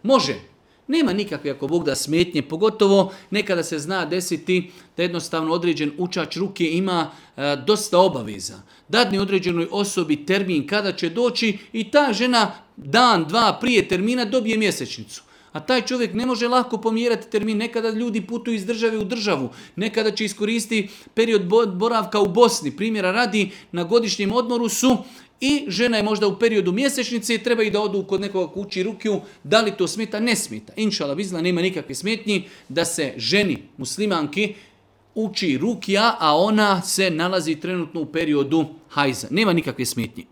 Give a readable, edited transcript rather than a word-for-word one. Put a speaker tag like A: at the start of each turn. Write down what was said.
A: Može. Nema nikakve, ako Bog da, smetnje, pogotovo nekada se zna desiti da jednostavno određen učač ruke ima dosta obaveza. Dadne određenoj osobi termin kada će doći i ta žena dan, dva prije termina dobije mjesečnicu. A taj čovjek ne može lako pomjerati termin. Nekada ljudi putuju iz države u državu. Nekada će iskoristiti period boravka u Bosni. Primjera radi, na godišnjem odmoru su i žena je možda u periodu mjesečnice i treba i da odu kod nekoga kući rukiju. Da li to smeta? Ne smeta. Inšala bizla, nema nikakve smetnji da se ženi muslimanki uči rukija, a ona se nalazi trenutno u periodu hajza. Nema nikakve smetnji.